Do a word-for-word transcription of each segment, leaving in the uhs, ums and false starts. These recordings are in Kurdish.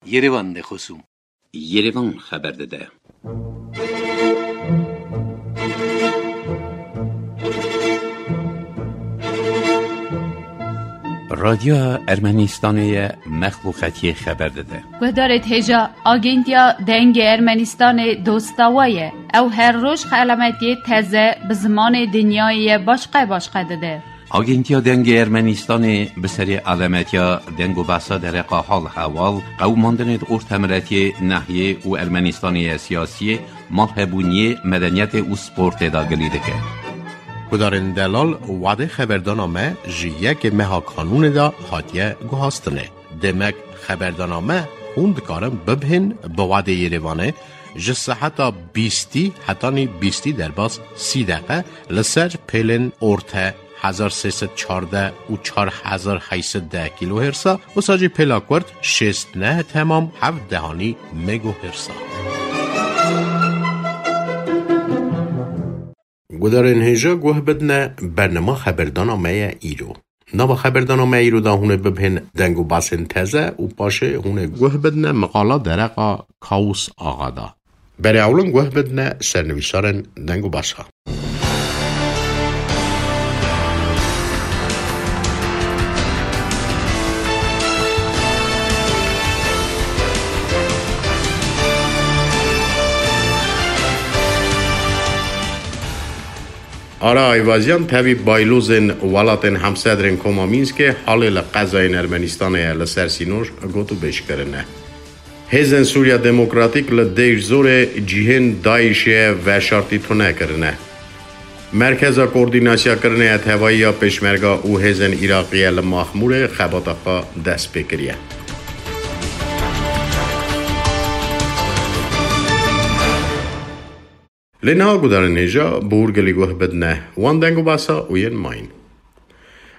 Yerevan de xosûm. Yerevan xeber dide. Radyoya Ermenistanê ye, mexluqetiyê xeber dide. Guhdarêt hêja, Agentiya Dengê Ermenistanê dosta we ye. Ew her roj xelametiyê teze bi zimanê dinyayê ye başqe başqe dide. Agentiya Dengê Ermenistanê bi serê alemetiya deng û behsa dereqa hal hewal, qewimandinê di ortemiletiyê, nehiyê û Ermenistanê ye siyasiyê, malhebûniyê, medeniyetê û sportê de gilî dike. Gudarên delal, wadê xeberdana me ji yekê meha kanûnê de hatiye guhastinê. Demek xeberdana me hûn dikarin bibihên bi wadê Yerevanê ji seheta bîstî hetanî bîstî derbas sî deqe li ser pêlên orte hezar sê sed çardeh û çar hezar heyt sed deh kîlohêrsa, wisa jî pêla kurt şêst neh temam heft dehanî megohêrsa. Gudarên hêja guh bidine bernama xeberdana me ye îro. Nava xeberdana me îro de hûn ê bibihên deng û basên teze û paşê hûn ê guh bidine miqala dereqa Kawus Axa de. Berê ewlin guh bidine sernivîsarên deng û basa. Ara Ayvazyan tevî baylozên welatên hemsedrên Koma Mînskê halê li qezayên Ermenistanê ye li ser sînor gotûbêj kirine. Hêzên Sûriya Demokratîk li Dêrjorê cihên DAIŞê veşartî tune kirine. Merkeza Koordînasyakirinê ya Tevayî ya Pêşmerga û hêzên Îraqiye li Maxmûrê xebata xwe dest pê kiriye. Lê niha gudarên hêja bi hûrgilî guh bidine wan deng û basa û yên mayîn.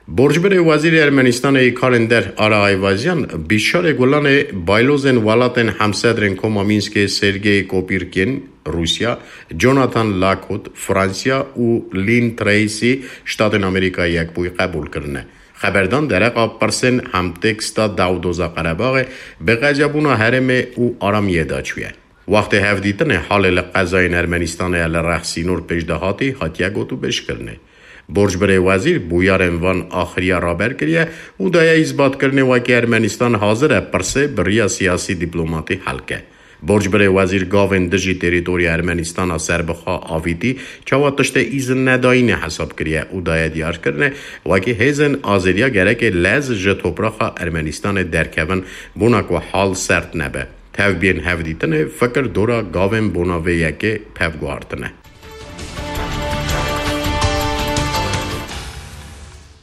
Borcbirê Wezîrê Ermenistanê yê Karên Der Ara Ayvazyan bîşarê gulanê baylozên welatên hemsedrên Koma Mînskê Sergey Kopîrkin, Rûsya, Jonathan Lakot, Fransiya û Lynn Tracy, Ştatên Amerîka Yekbûyî qebûl kirine. Xeberdan dereqa pirsên hemtêksta dewdoza Qerebaxê bi qecebûna herêmê û aramiyê de çûye. Wextê hevdîtinê halê li qezayên Ermenistanê ya li rex sînor pêş de hatî, hatiye gotûbêjkirinê. Borcbirê wezîr bûyarên van axiriya raber kiriye û daye îsbatkirinê wekî Ermenistan hazir e pirsê bi riya siyasî dîplomatî hel ke. Borcbirê wezîr gavên dijî terîtoriya Ermenistana serbixwe avîtî çawa tiştê îzin nedayînê hesab kiriye û daye diyarkirinê wekî hêzên azêriya gerekê lez ji topraxa Ermenistanê derkevin bona ku hal sert nebe. Tevbiyên hevdîtinê fikir dora gavên bona vê yekê pev guhartine.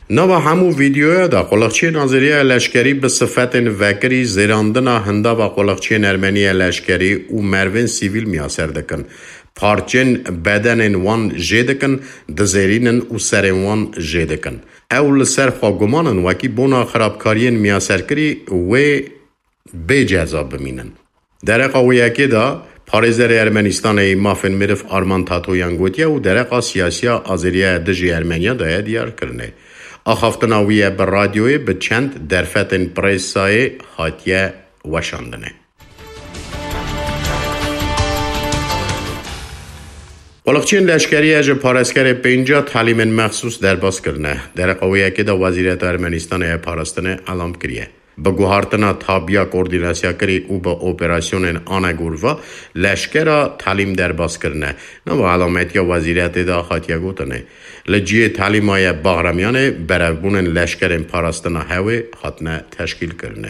Nava hemû vîdeoya de quliqçiyên azêriya leşkerî bi sifetên vekirî zêrandina hindava quliqçiyên ermeniya leşkerî û mervên sivîl miyaser dikin. Parçên bedenên wan jê dikin, dizêrînin û serên wan jê dikin. Ew li ser xwe guman in wekî bona xirabkariyên miyaserkirî wê bê ceza bimînin. Dereqa wê yekê de parêzerê Ermenistanê yê mafên meriv Arman Tatoyan gotiye û dereqa siyasiya azêriya dijî Ermeniya daye diyarkirinê. Axaftina wî ye bi radyoyê bi çend derfetên presayê hatiye weşandinê. Quliqçiyên leşkerî ye ji parêzkerê pênca talîmên mexsûs derbas kirine. Dereqa wê yekê de Wezîreta Ermenistanê ya Parastinê elam kiriye. Bi guhartina tabiya koordînasyakirî û bi operasyonên anegorva leşkera talîm derbas kirine. Nava elametiya wezîretê de hatiye gotinê. Li cihê talîma ye Baxramiyanê berevbûnên leşkerên parastina hewê hatine teşkîlkirinê.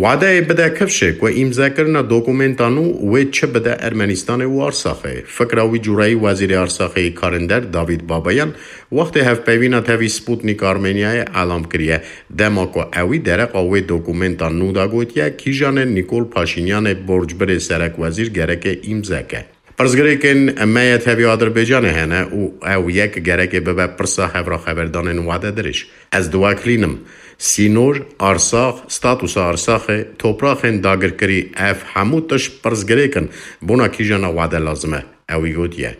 Wadeyê bide kifşê ku îmzekirina dokumenta nû wê çi bide Ermenistanê û Arsaxê. Fikra wî cureyî Wezîrê Arsaxê yê Karên Der Davîd Babayan wextê hevpeyvîna tevî Sputnik Armeniayê elam kiriye. Dema ku ewî dereqa wê dokumenta nû de gotiye, kîjanê Nîkol Paşînyanê borcbirê serekwezîr gereke îmze ke. Pirsgirêkên me yê tevî Adirbaycanê hene û ew yek gereke bibe pirsa hevra xeberdanên wade dirêj. Ez diweklînim. Sînor, Arsax, statusa Arsaxê, topraxên dagirkirî, ev hemû tişt pirsgirêk in. Bona kîjana wade lazim e. Ewî gotiye.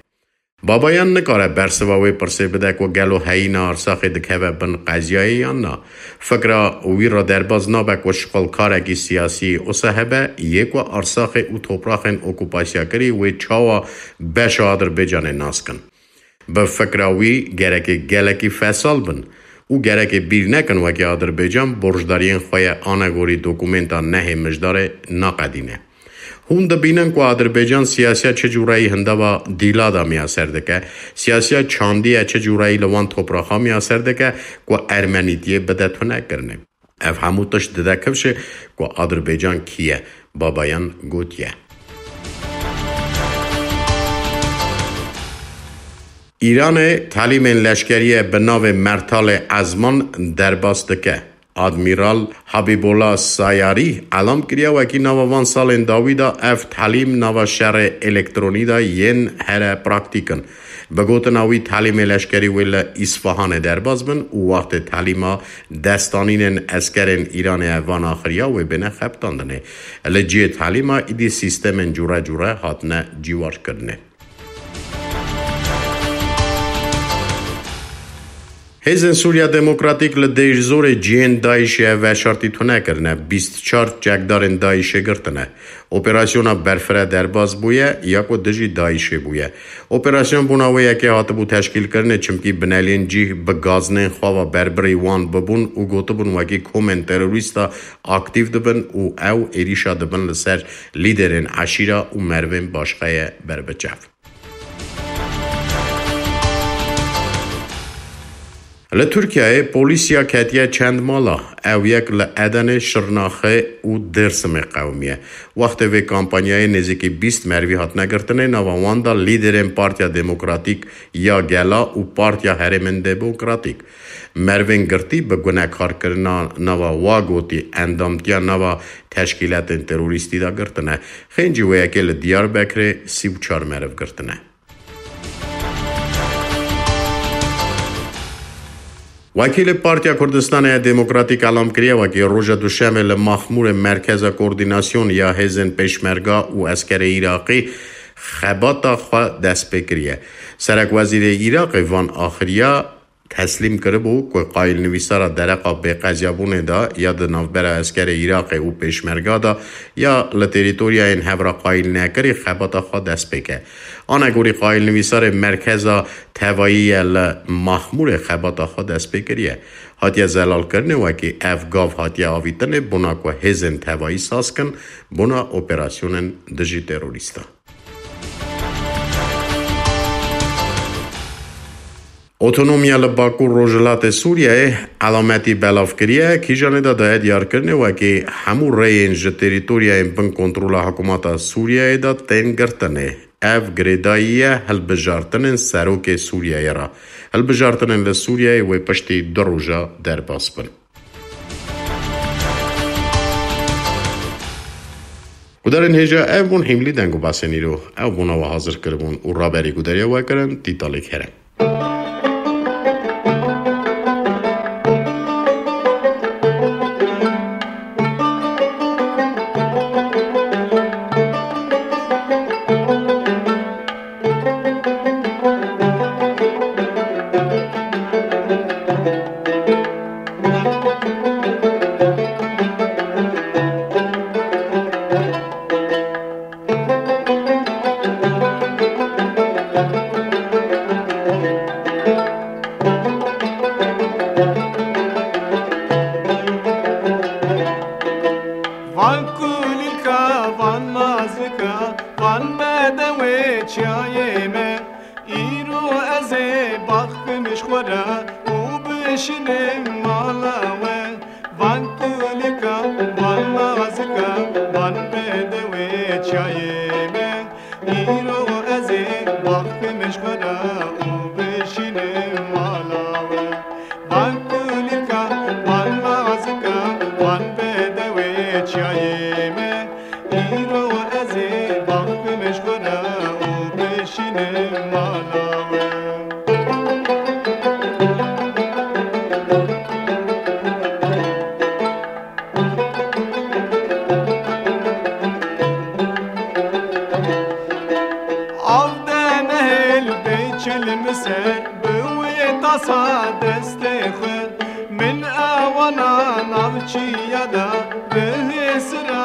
Babayan nikare bersiva wê pirsê bide ku gelo heyîna Arsaxê dikeve bin qeziyayê yan na. Fikra wî re derbaz nabe ku şixulkarekî siyasî wisa hebe, yê ku Arsaxê û topraxên okûpasyakirî wê çawa beşa Adirbaycanê nas kin. Bi fikra wî gerekê gelekî fesal bin û gerekê bîr nekin wekî Adirbaycan borcdariyên xwe ye anegorî dokumenta nehê Mijdarê naqedîne. Hûn dibînin ku Adirbaycan siyasiya çi cûreyî hindava dîla de miyaser dike, siyasiya çandiye çi cûreyî li wan topraxa miyaser dike ku ermenîtiyê bide tunekirinê. Ev hemû tişt dide kifşê ku Adirbaycan kî ye, Babayan gotiye. Îranê talîmên leşkerî ye bi navê Mertalê Ezman derbas dike. Admîral Habîbola Sayarî elam kiriye wekî nava van salên dawî de ev talîm nava şerê elektronî de yên here praktîk in. Bi gotina wî, talîmê leşkerî wê li Îsfahanê derbas bin û wextê talîma destanînên eskerên Îranê ev van axiriya wê bêne xebitandinê. Li cihê talîma îdî sîstemên cûre cûre hatine cîwarkirinê. Hêzên Sûriya Demokratîk li dêjzorê cihên DAIŞê veşartî tune kirine, bîst çar çekdarên DAIŞê girtine. Operasyona berfireh derbas bûye ya ku dijî DAIŞê bûye. Operasyon bûna wê yekê hatibû teşkîlkirinê, çimkî bineliyên cih bi gaznên xwe ve berbirî wan bibûn û gotibûn wekî komên terorîsta aktîf dibin û ew êrîşa dibin li ser lîderên eşîra û merivên başqe ye ber bi çav. Li Tirkiyeyê polîsiya ketiye çend mala. Ew yek li Edenê, Şirnaxê û Dêrsimê qewimiye. Wextê vê kampanyayê nêzîkî bîst merivî hatine girtinê, nava wan de lîderên Partiya Demokratîk ya Gela û Partiya Herêmên Demokratîk. Merivên girtî bi gunekarkirina nava wa gotî endamtiya nava teşkîletên terorîstî de girtine. Xêncî wê yekê li Diyarbekirê sî û çar meriv girtine. Wekîlê Partiya Kurdistanê ya Demokratîk elam kiriye, wekî roja Duşemê li Maxmûrê Merkeza Koordînasyon ya Hêzên Pêşmerga û Eskerê Iraqî xebata xwe dest pê kiriye. Serekwezîrê Iraqê van axiriya teslîm kiribû ku qayîlnivîsara dereqa bêqeziyabûnê de ya di navbera eskerê Iraqê û Pêşmerga de ya li terîtoryayên hevra qayîlnekirî xebata xwe dest pê ke. Anegorî qayîlnivîsarê Merkeza Tevayî ye li Maxmûrê xebata xwe dest pê kiriye. Hatiye zelalkirinê wekî ev gav hatiye avîtinê bona ku hêzên tevayî saz kin bona operasyonên dijî terorîsta. Otonomiya li Bakur Rojhilatê Sûriyeyê elametî belav kiriye, kîjanê de daye diyarkirinê wekî hemû rêyên ji terîtoryayên bin kontrola hikûmeta Sûriyeyê de tên girtinê. Ev girêdayî ye hilbijartinên serokê Sûriyeyê re. Hilbijartinên li Sûriyeyê wê piştî du roja derbas bin. Gudarên hêja, ev bûn hîmlî deng û basên îro. Ew bûna we hazir kiribûn û raberî gudariya we kirin Tîtalê Kerem. Van kulîlka, van mazika, van bedewê çiyayê me. Îro ez ê baxim ji xwe re û bişinim mala we. Van kulîlka, van mazika, van bedewê çiyayê me. Îro ez ê baxim ji xwe re û bişinim mala we. Van kulîlka, van mazika, van bedewê çiyayê me. Îro ez ê baxim ji xwe re û bişînim mala we. Av de nehêl bê Min ser bi wê tasa destê xwe, min ewana navçiya da bi hêsira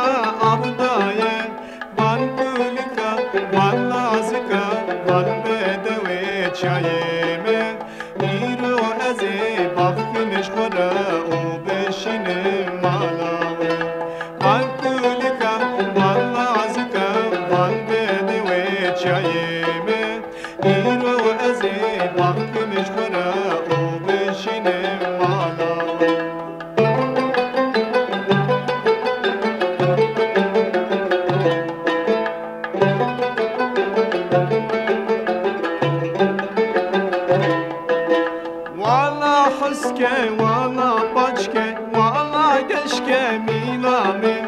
av daye. Van kulika, van lazika, van bedewê çayê me. Îro ez ê baxkim ji xwe re û bişînim mala we. Van kulika, van lazika, van bedewê çayê me. Îro ez ê baxkim ji xwe re û bişînim mala we. Wala huske, wala paçke, wala geşke mîna min.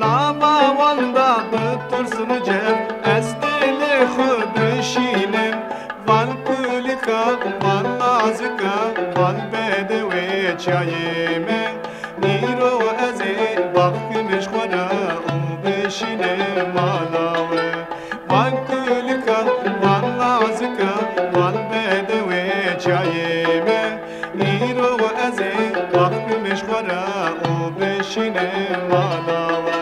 Nava wan da bi tirs û cev ez dilê xwe dişînim. Van kulika, van lazika, van bedewê çayê me. Îro ez ê baxkim ji xwe re û bişînim mala we. Van kulika, van lazika, van bedewê çayê me. Îro ez ê baxkim ji xwe re û bişînim mala we.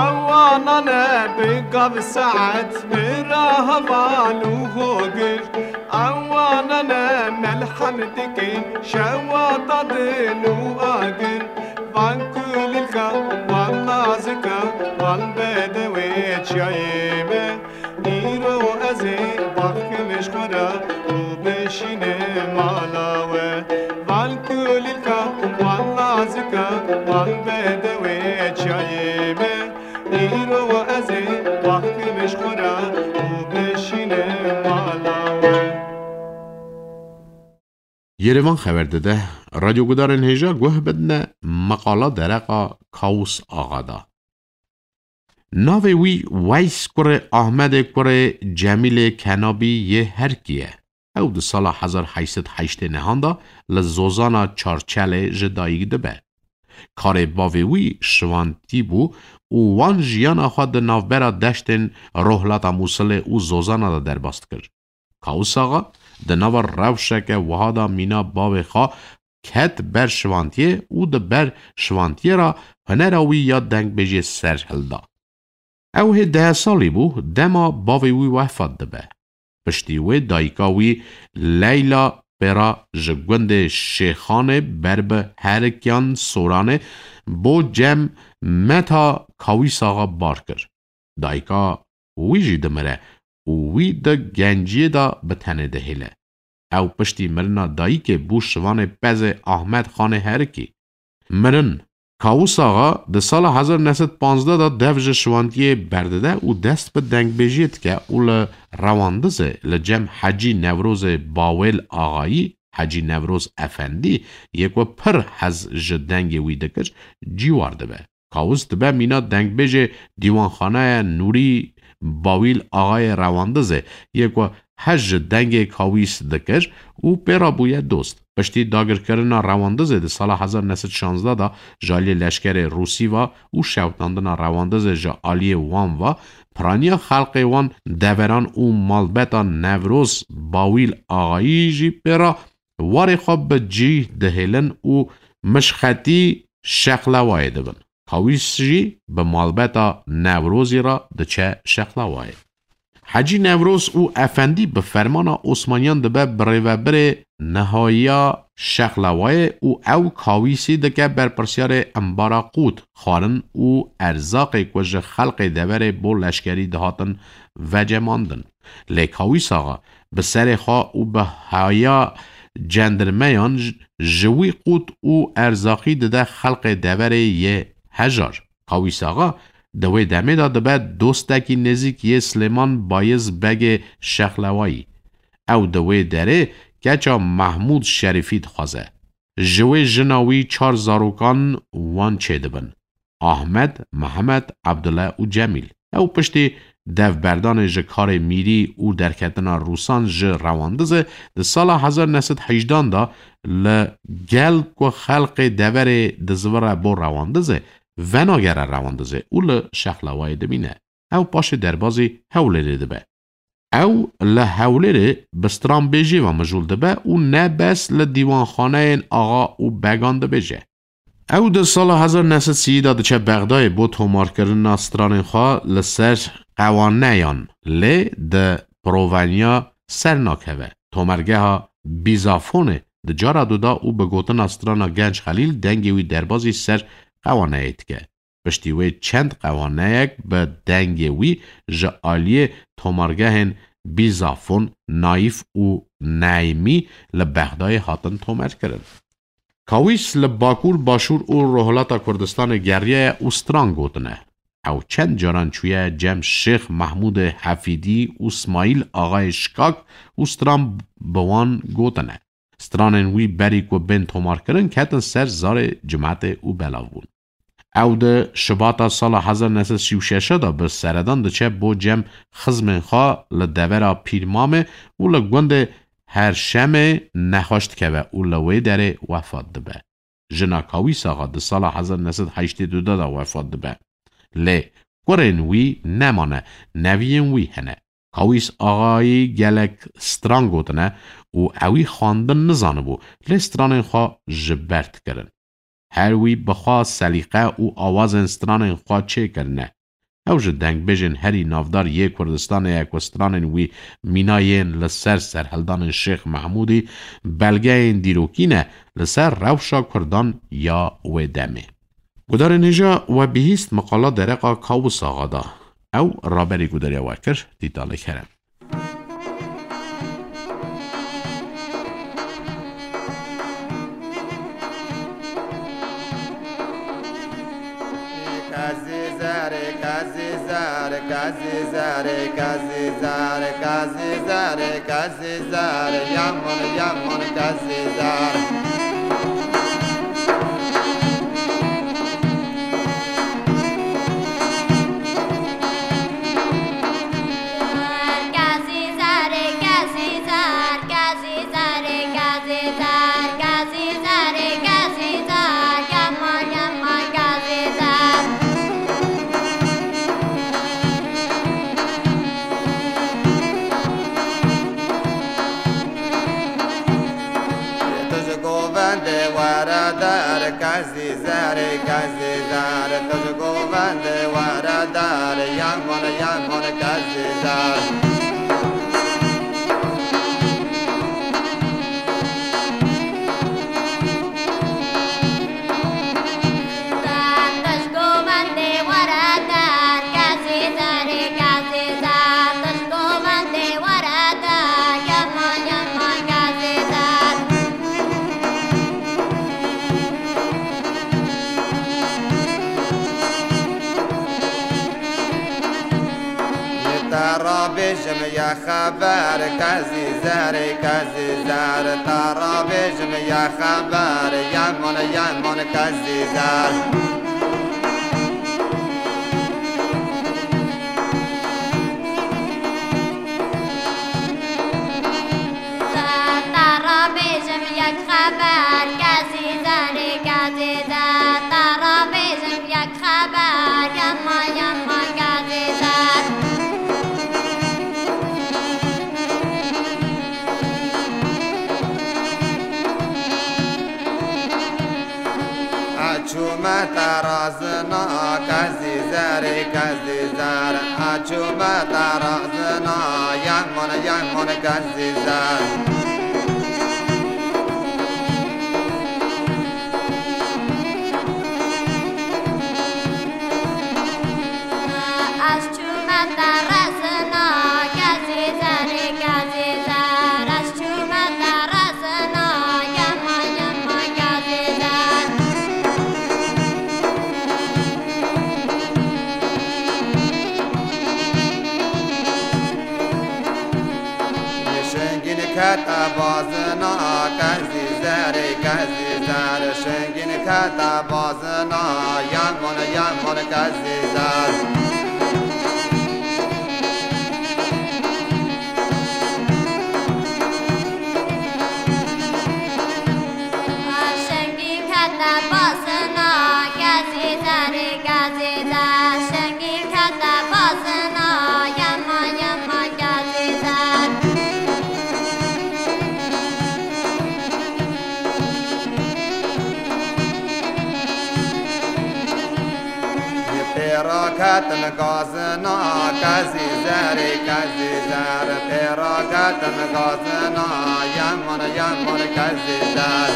Ewanane bi gav saet, bi ra heval û hogir. Ewanane melhem dikin, şewa dadin û agir. Van kulîlka, van lazika, van bedewê çayê me. Îro ez ê baxkim ji xwe re û bişînim mala we. Van kulîlka, van lazika, van bedewê çayê me. Îro ez ê baxkim ji xwe re û bişînim mala we. Yerevan xeber dide, radyogudarên hêja guh bidine meqala dereqa Kawus Axa da. Navê wî Weys kurê Ahmedê kurê Cemîlê Kenabî yê Herkî ye. Ew di sala hezar heşt sed heştê nehan de li Zozana Çarçelê ji dayik dibe. Karê bavê wî şivantî bû û wan jiyana xwe di navbera deştên Rohlata Mûsilê û Zozana de derbas dikir. Kawus Axa di nava rewşeke wiha de mîna bavê xwe ket ber şivantiyê û di ber şivantiyê re hunera wî ya dengbêjê ser hilda. Ew hê deh salî bû, dema bavê wî wefat dibe. Piştî wê dayika wî Leyla pêra ji gundê Şêxanê ber bi Herikiyan Soranê bo Cem Meta Kawîs Axa bar kir. Dayika wî jî dimire û wî di genciyê de bi tenê dihêle. Ew piştî mirina dayikê bû şivanê pezê Ahmed Xanê Herikî. Mirin. Kawus Axa di sala hezar neh sed panzdeh de dev ji şivantiyê berdide û dest bi dengbêjiyê dike û li rewandizê li cem Hecî Newrozê Bawêl Axayî, Hecî Newroz Efendî, yê ku pir hez ji dengê wî dikir, cîwar dibe. Kawus dibe mîna dengbêjê Dîwanxanaya Nûrî Bawîl Axayê Rewandizê, yê ku hez ji dengê Kawîs dikir û pê re bûye dost. Piştî dagirkirina Rewandizê di sala hezar neh sed şazdeh de ji aliyê leşkerê Rûsî ve û şewitandina Rewandizê ji aliyê wan ve, piraniya xelkê wan, deveran û malbeta Newroz Bawîl Axayî jî pê re warê xwe bi cî dihêlin û mişxetî Şexlewayê dibin. Kawîs jî bi malbeta Newrozî re diçe Şexlewayê. Hecî Newroz û Efendî bi fermana Osmaniyan dibe birêvebirê nihayiya Şexlewayê û ew Kawîsî dike berpirsiyarê embara qût, xwarin û erzaqê ku ji xelkê deverê bo leşkerî dihatin vecemandin. Lê Kawîs Axa bi serê xwe û bi haya cendirmeyan j-, ji wî qût û erzaqî dide xelkê deverê yê hejar. Kawîs Axa di wê demê de dibe dostekî nêzîk yê Silêman Bayiz Begê Şexlewayî. Ew di wê derê keça Mehmûd Şerîfî dixwaze. Ji wê jina wî çar zarokan wan çêdibin: Ahmed, Mihemed, Ebdule û Cemîl. Ew piştî Dev berdanê ji karê mîrî û derketina Rûsan ji rewandiz e, di sala hezar neh sed hejdan de li gel ku xelkê deverê dizivire bo rewandiz e, venagere rewandiz e û li Şexlawayê dimîne. Ew paşê derbazî Hewlêrê dibe. Ew li Hewlêrê bi stranbêjî ve mijûl dibe û ne bes li dîwanxaneyên axa û began dibêje. Ew di sala hezar neh sed sî de diçe Bexdayê bo tomarkirina stranên xwe li ser qewaneyan, lê di proveniya ser nakeve. Tomargeha Bîzafonê di cara du da û bi gotina strana Genç Xelîl dengê wî derbazî ser qewaneyê dike. Piştî wê çend qewaneyek bi dengê wî ji aliyê tomargehên Bîzafon, Nayîf û Neymî li Bexdayê hatin tomarkirin. Kawîs li Bakur, Başûr û Rojhilata Kurdistanê geriyaye û stran gotine. Ew çend caran çûye cem Şêx Mehmûdê Hefîdî û Smaîl Axayê Şikak û stran bi wan gotine. Stranên wî berî ku bên tomarkirin ketin ser zarê cimetê û belav bûn. Ew di Şibata sala hezar neh sed sî û şeş de bi seredan diçe bo cem xizmên xwe li devera Pîrmamê û li gundê Herşemê nexweş dikeve û li wê derê wefat dibe. Jina Kawîs Axa di sala hezar neh sed heştê du de wefat dibe. Lê kurên wî nemane, neviyên wî hene. Kawîs Axayî gelek stran gotine û ewî xwendin nizanibû, lê stranên xwe ji ber dikirin. Her wî bi xwe selîqe û awazên stranên xwe çêkirine. Ew ji dengbêjên herî navdar yê Kurdistanê ye ku stranên wî mîna yên li ser serhildanên Şêx Mehmûdî belgeyên dîrokî ne li ser rewşa Kurdan ya wê demê. Gudarên hêja we bihîst miqala dereqa Kawis Axa da. Ew raberî gudariya we kir, dîtalê kerem. Kazî zerê, kazî zerê, kazî zerê, kazî zerê, kazî zerê, kazî zerê, yaman, yaman kazî zerê. Tu ji govendê were der, kazî zerê, kazî zer. Tu ji govendê were der, yaman, yaman kazî zer. Te rabêjim ya xeber, kazî zerê, kazî zer. Te rabêjim ya xeber, yaman, yaman kazî zer. Te rabêjim yek xeber, kazî zerê, kazî zer. Te rabêjim yek xeber, yama, yama kazî zer. Açûme te razina, kazî zerê, kazî zer. Açûme te razina, yaman, yaman kazî zer. Ez çûme te rezina, kezî zerê, kezî zer. Ez çûme te rezina, yema, yema, kezî zer. Şengîn kete bazina, kezî zerê, kezî zer. Şengîn kete bazina, yemon, yemon kezî zer. Te basina kezî zerê kezî zer, şengî kete basina yema yema kezî zer. Pêra ketin gazina kezî zerê kezî zer, pêra ketin gazina yeman yeman kezî zer.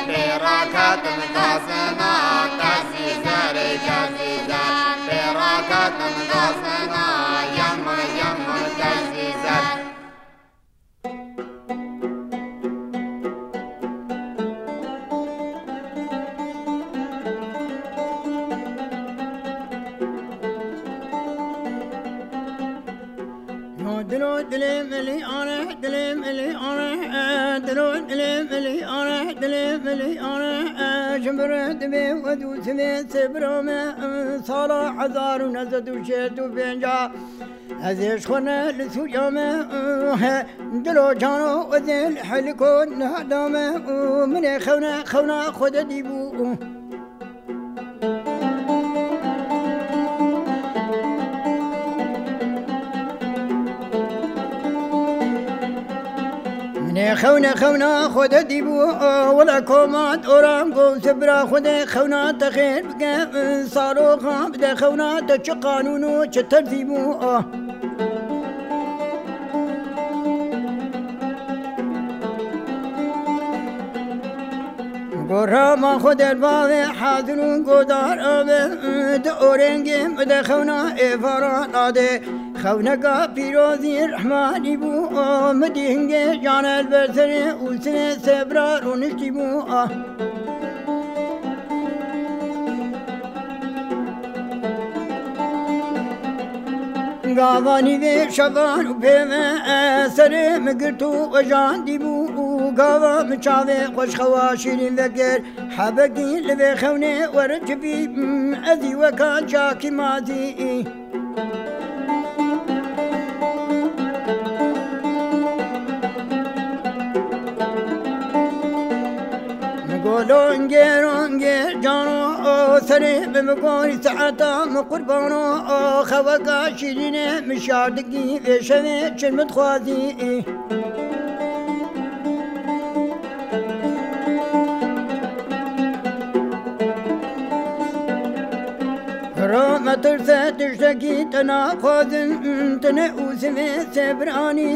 Pêra ketin gazina kezî zerê kezî zer, pêra ketin gazina yeman yeman kezî zer. Dilo dilê milî ane, dilê milî ane, e, dilo dilê milî ane, dilê milî ane, e, ji bira divê wed û sivê sê bira me, e, sala hezar û neh sed û şêst û pênc. Ez ê ji xwe ne li Sûriya me, he, dilo cano ez ê li heliko nehda me, min ê xewne xewna xwe de dîbû. Min ê xewne xewna xwe de dîbû, wele koma doran go sibira xwe de xewna te xêr bike, saroxa bide xewna te çi qanûn û çi terzî bû. Gorama xwe derbavê hazir û godar abe, di orengê min de xewna êvara nade. Xewneka pîrozî rehmanî bû, min dî hingê can el ber serê û sinê sebra rûniştî bû. Gavanî vê şevan û pê me, serê min girt û wejandî bû û gava min çavê xweşxewa şîrîn vekir. Hebekî li vê xewnê were çi bî, ez î weka çakî mazî. Golo ngê rongê cano, o serê min bi gorî saeta min qurbano, o xeweka şîrînê min şardikî vê şevê çi min dixwazî. Ro me tirse tiştekî te naxwazin, tine û sivê sê biranî,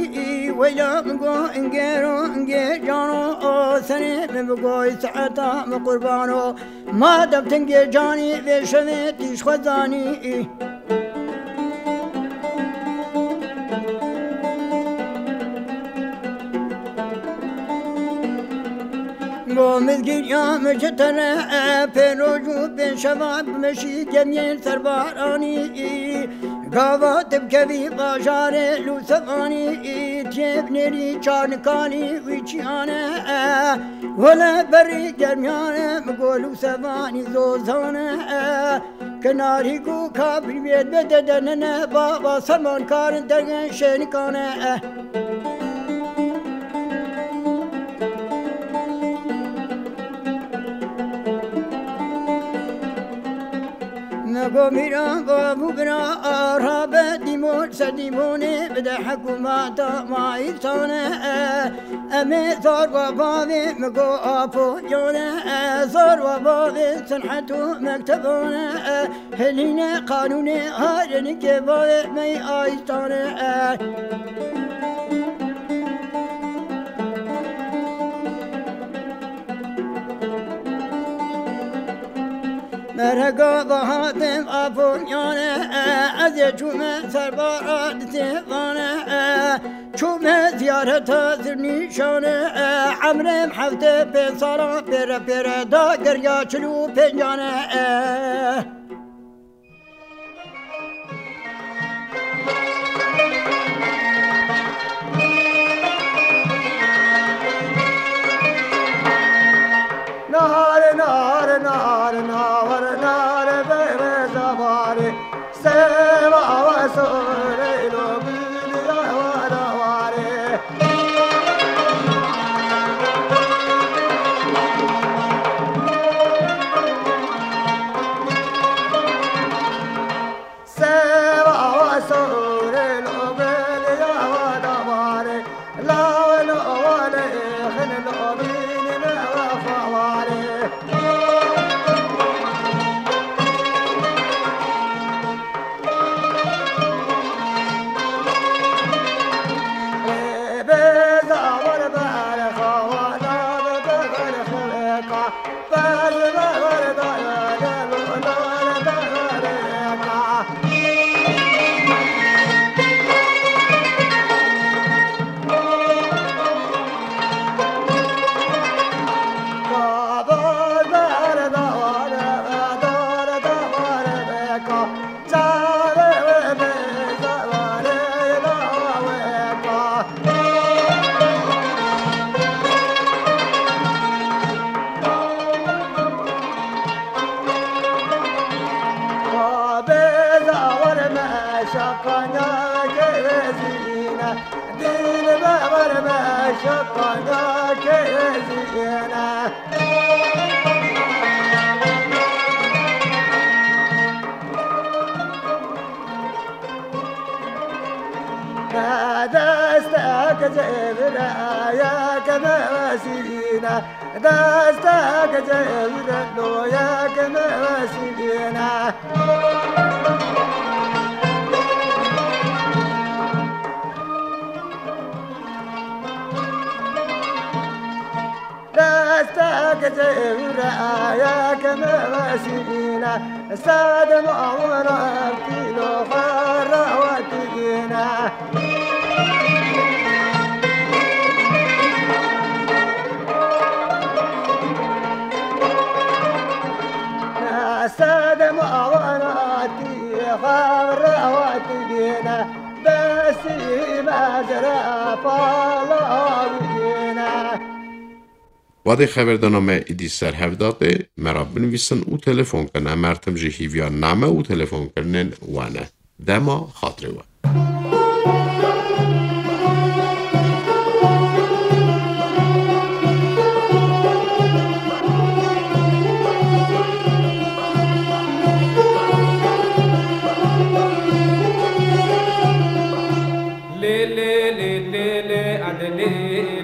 weyla min go ingêro ingê cano, o serê min bi goy saeta min qurbano, madem tingê canî vê şevê tîj xwe zanî. Go mizgîniya min ji te re, e, pê roj û pê şeva bimeşî gemiyên serbaranî. Gava tu bikevî bajarê Lûsevanî, tiyê binêrî çarnikanî wî çiyane, e, wele berî germiyane min go Lûsevanî zozane, e. Kenarî ku kabiriyê bide denene, baba sermankarin dergen şênikane. Me go mîran go bû bira, rabe dîmon ser dîmonê bide hekûmeta mayîsane. Em ê zor wa bavê min go apo yone, zor wa bavê sinhet û mektebane, hilîne qanûnê harenîkê bavê me yî ayîstane. Merhega bahatim aponyane, ez ê çûme serbara di têvane. Çûme ziyareta Zirnîşanê, e, emrê min hefte pênc sala pêre pêre da geriya çil û pêncanê, e. Nare, nare, nare, navare, nare, bere, zavare. Seva ve so Konyakê zîne, dil be wer be şo Konyakê zîne. Destek cevire yek me vesîne, destek cevire lo yek me vesîne. Destek cevire yek me vesîne, sed mawin ev tîlo xwe rawetîne. Sed mawin tî xwe rawetîne, besî mezre palawîne. Wadê xeberdana me îdî ser hev datê, me re binivîsin û telefon kin. Em her tim jî hîviya name û telefonkirinên we ne. Dema xatirê we. Lê, lê, lê, lê, lê, edilê,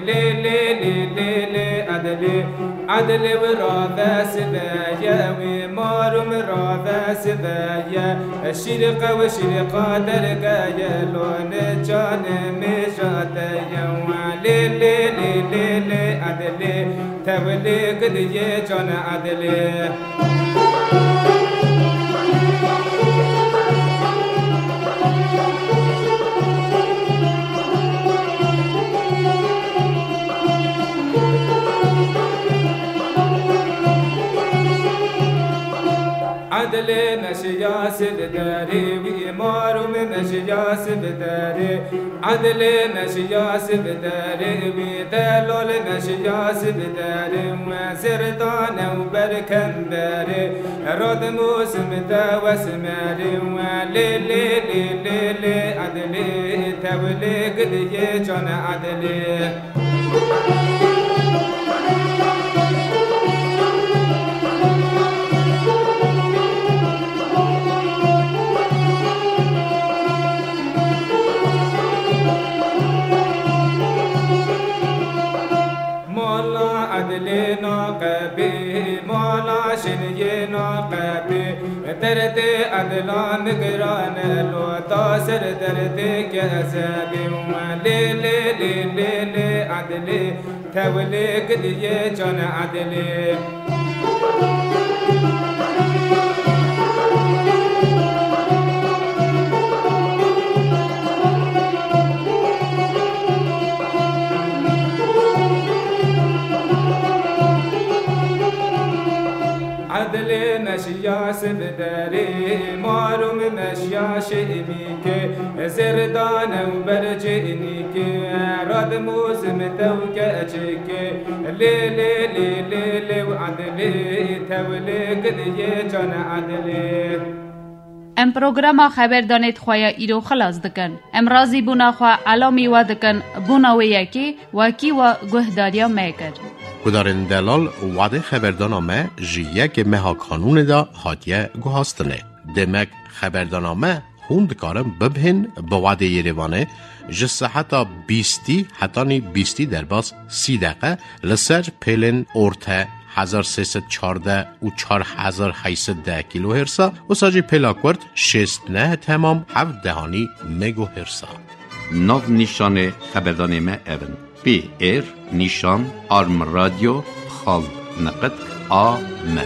lê, lê, lê, lê, lê, edilê. Edilê wira dest ve ye, wî mar û min ra dest ve ye. Şîrîqe û şîrîqa derge ye, lo ne canê mêja te ye. Lê, lê, lê, lê, lê, edilê. Tewilê gidiyê canê edilê. Edilê meşiya sivderê, wî mar û min meşiya sivderê. Edilê meşiya sivderê, wî delal meşiya sivderê. We zerdane û berkenderê, radimûzim de wesmerê. We lê, lê, lê, lê, lê, edilê, tewilê gidiyê canê edilê. Mala edilê naqebê, mala şiniyê naqebê. Derdê edila min giran e, lo ta ser derdê kezebê. Lê, lê, lê, lê, lê, edilê, tewilê gidiyê canê edilê. Edilê meşiya sivderê, mar û min meşiya şêmîkê, zerdane û bercênîkê, radimûzim de û keçikê. Lê, lê, lê, lê, lê, edilê, tewilê gidiyê canê edilê. Em programa xeberdanê di xwe ya îro xilas dikin. Em razîbûna xwe elamî we dikin, bona wê yekê wekî we guhdariya me kir. Guhdarên delal, wadê xeberdana me ji yekê meha Kanûnê de hatiye guhastinê. Demek xeberdana me hûn dikarin bibihên bi wadê Yerêvanê ji seheta bîstî hetanî bîstî derbas sî deqe li ser pêlên orte hezar sê sed çardeh û çar hezar heyt sed deh kîlohêrsa, wisa jî pêla kurt şêst neh temam heft dehanî megohêrsa. Nav nîşanê xeberdanê me ev in: P R nîşan arm radyo xal neqet A M.